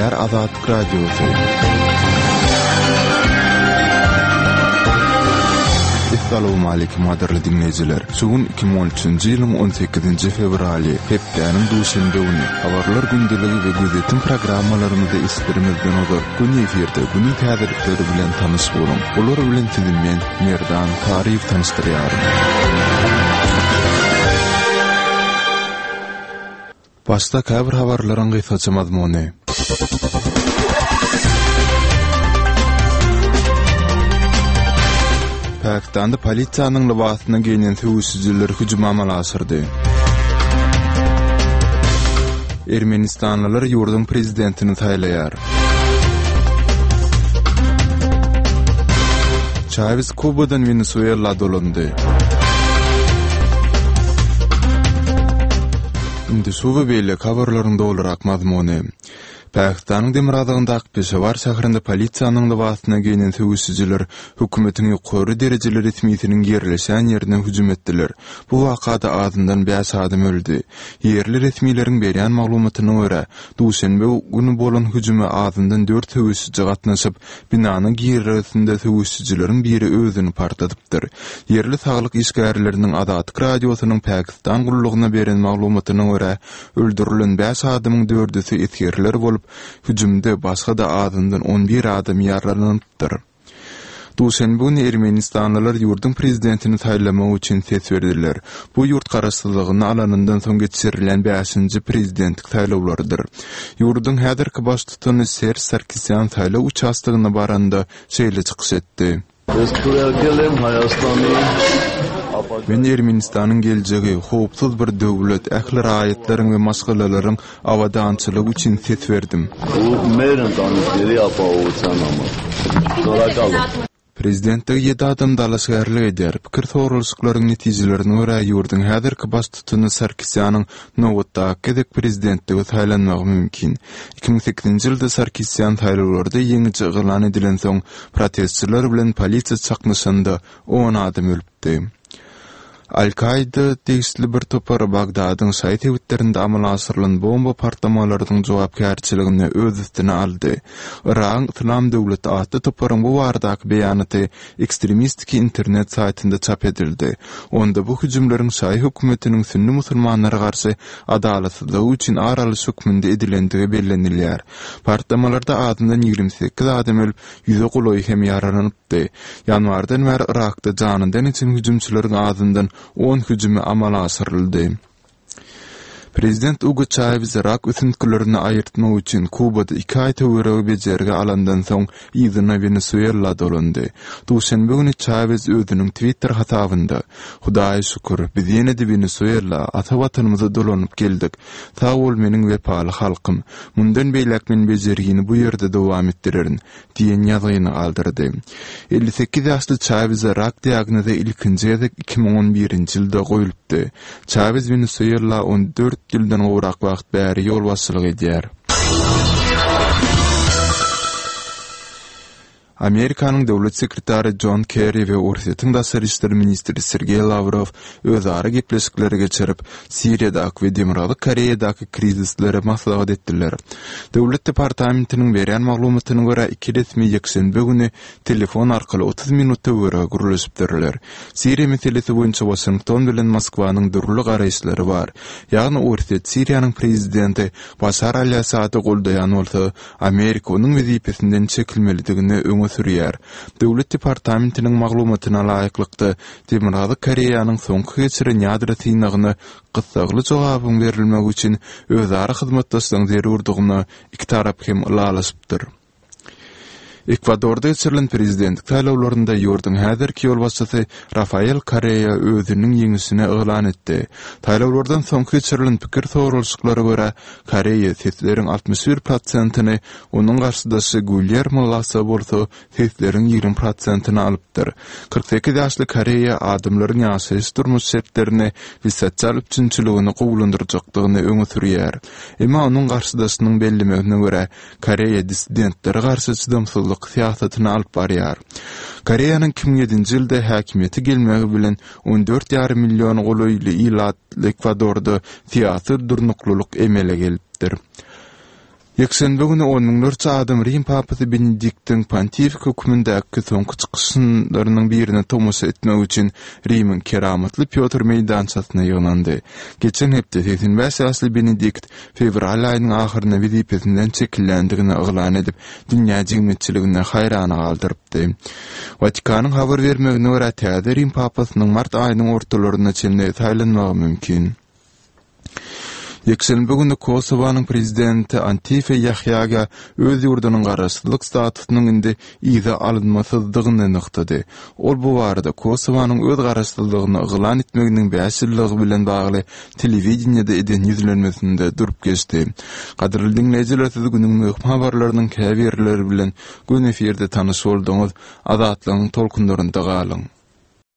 Gepleýär Azatlyk Radiosy. Essalawmaleýkim gadyrly diňleýjiler! Şu gün 2013-nji ýylyň 18-nji fewraly, hepdäniň duşenbe güni. Habarlar gündeligi we gözýetim programmalarymyzy eşitdirmezden ozal, göni efirde günüň täzelikleri bilen tanyş boluň. Olar bilen sizi men, Merdan Saryýew tanyşdyrýaryn. Başda käbir habarlaryň gysgaça mazmuny. Pakistanda polisiýanyň lybasyna geýnen söweşijiler hüjüm amala aşyrdy. Ermenistanlylar ýurduň prezidentini saýlaýar. Çawes Kubadan Wenesuela dolandy. Indi şu we beýleki habarlaryň dolurak mazmuny. Pakistanyň demirgazygyndaky Peşawar şäherinde polisiýanyň lybasyna geýnen söweşijiler hökümetiň ýokary derejeli resmisiniň ýerleşýän ýerine hüjüm etdiler. Bu wakada azyndan bäş adam öldi. Ýerli resmileriň berýän maglumatyna görä, duşenbe güni bolan hüjüme azyndan dört söweşiji gatnaşyp, binanyň girelgesinde söweşijileriň biri özüni partladypdyr. Ýerli saglyk işgärleriniň Azatlyk Radiosynyň Pakistan gullugyna beren maglumatyna görä, öldürilen bäş adamyň dördüsi esgerler bolup, hüjümde başga-da azyndan on bir adam ýaralanypdyr. Duşenbe güni ermenistanlylar ýurduň prezidentini saýlamak üçin ses berdiler. Bu ýurt garaşsyzlygyny alanyndan soň geçirilýän bäşinji prezidentlik saýlawlarydyr. Ýurduň häzirki baştutany Serž Sarkisýan saýlaw uçastogyna baranda şeýle çykyş etdi. Men Ermenistanyň geljegi, howpsuz bir döwlet, ähli raýatlaryň we maşgalalaryň abadançylygy üçin ses berdim. Prezidentlige ýedi adam dalaşgärlik edýär. Pikir soralyşyklaryň netijelerine görä, ýurduň häzirki baştutany Sarkisýanyň nobatdaky gezek prezidentlige saýlanmagy mümkin. 2008-nji ýylda Sarkisýan saýlawlarda ýeňiji yglan edilensoň, protestçiler bilen polisiýa çaknyşanda on adam ölüpdi. Al-Kaida degişli bir topar Bagdadyň şaýy sebitlerinde amala aşyrylan bomba partlamalarynyň jogapkärçiligini öz üstüne aldy. Yragyň Yslam döwleti atly toparyň bu baradaky beýanaty ekstremistiki internet saýtynda çap edildi. Onda bu hüjümleriň şaýy hökümetiniň sünni musulmanlara garşy adalatsyzlygy üçin ar alyş hökmünde edilendigi bellenilýär. Partlamalarda azyndan 28 adam ölüp, ýüze golaýy hem ýaralanypdy. Ýanwardan bäri Yrakda janyndan geçen hüjümçileriň azyndan on hüjümi amala aşyryldy. Prezident Ugo Çawez rak ösüntgilerini aýyrtmak üçin Kubada iki aý töweregi bejergi alandan soň yzyna Wenesuela dolandy. Duşenbe güni Çawez özüniň Twitter hasabynda, Hudaýa şükür, biz ýene-de Wenesuela, ata Watanymyza dolanyp geldik. Sag bol meniň wepaly halkym. Mundan beýläk men bejergini bu ýerde dowam etdirerin diýen ýazgyny galdyrdy. 58 ýaşly Çaweze rak diagnozy ilkinji gezek 2011-nji ýylda goýlupdy. Çawez Wenesuela 14 ýyldan gowrak wagt bäri ýolbaşçylyk edýär. Amerikanyň döwlet sekretary Jon Kerri we Orsýetiň daşary işler ministri Sergeý Lawrow özara gepleşikleri geçirip, Siriýadaky we Demirgazyk Koreýadaky krizisleri maslahat etdiler. Döwlet departamentiniň berýän maglumatyna görä, iki resmi ýekşenbe güni telefon arkaly 30 minut töweregi gürleşipdirler. Siriýa meselesi boýunça Waşington bilen Moskwanyň dürli garaýyşlary bar. Ýagny Orsýet Siriýanyň prezidenti Başar al-Assady goldaýan bolsa, Amerika onuň wezipesinden çekilmelidigini öňe sürýär. Döwlet departamentiniň maglumatyna laýyklykda, Demirgazyk Koreýanyň soňky geçiren ýadro synagyna gyssagly jogabyň berilmegi üçin özara hyzmatdaşlygyň zerurdygyna iki tarap hem ylalaşypdyr. Ekwadorda geçirilen prezidentlik saýlawlarynda ýurduň häzirki ýolbaşçysy Rafael Korrea özüniň ýeňişini yglan etdi. Saýlawlardan soňky geçirilen pikir soralyşyklara görä, Koreýa sesleriň 61 prosentini, onuň garşydaşy Guilýermo Lasso bolsa sesleriň 20 prosentini alypdyr. 48 ýaşly Koreýa adamlaryň ýaşaýyş-durmuş şertlerini we sosial üpjünçiligini gowulandyrjakdygyny öňe sürýär. Emma onuň garşydaşynyň bellemegine görä, Koreýa dissidentlere garşy çydamsyzlyk syýasatyny alyp barýar. Koreýanyň 2007-nji ýylda häkimiýete gelmegi bilen on dört ýarym million golaýly ilatly Ekwadorda syýasy durnuklylyk emele gelipdir. Ýekşenbe güni on müňlerçe adam Rim papasy Benediktiň pontifik hökmündäki soňky çykyşlarynyň birine tomaşa etmek üçin Rimiň Keramatly Pýotr meýdançasyna ýygnandy. Geçen hepde 85 ýaşly Benedikt fewral aýynyň ahyrynda wezipesinden çekilýändigini yglan edip, dünýä jemgyýetçiligini haýrana galdyrypdy. Watikanyň habar bermegine görä, täze Rim papasynyň mart aýynyň ortalaryna çenli saýlanmagy mümkin. Ýekşenbe güni Kosowanyň prezidenti Antife Ýahýaga öz ýurdunyň garaşsyzlyk statusynyň indi yza alynmasyzdygyny nygtady. Ol bu barada Kosowanyň öz garaşsyzlygyny yglan etmeginiň bäş ýyllygy bilen bagly telewideniýede eden ýüzlenmesinde durup geçdi. Gadyrly diňleýjiler siz günüň möhüm habarlarynyň käbirleri bilen göni efirde tanyş bolduňyz. Azatlygyň tolkunlarynda galyň!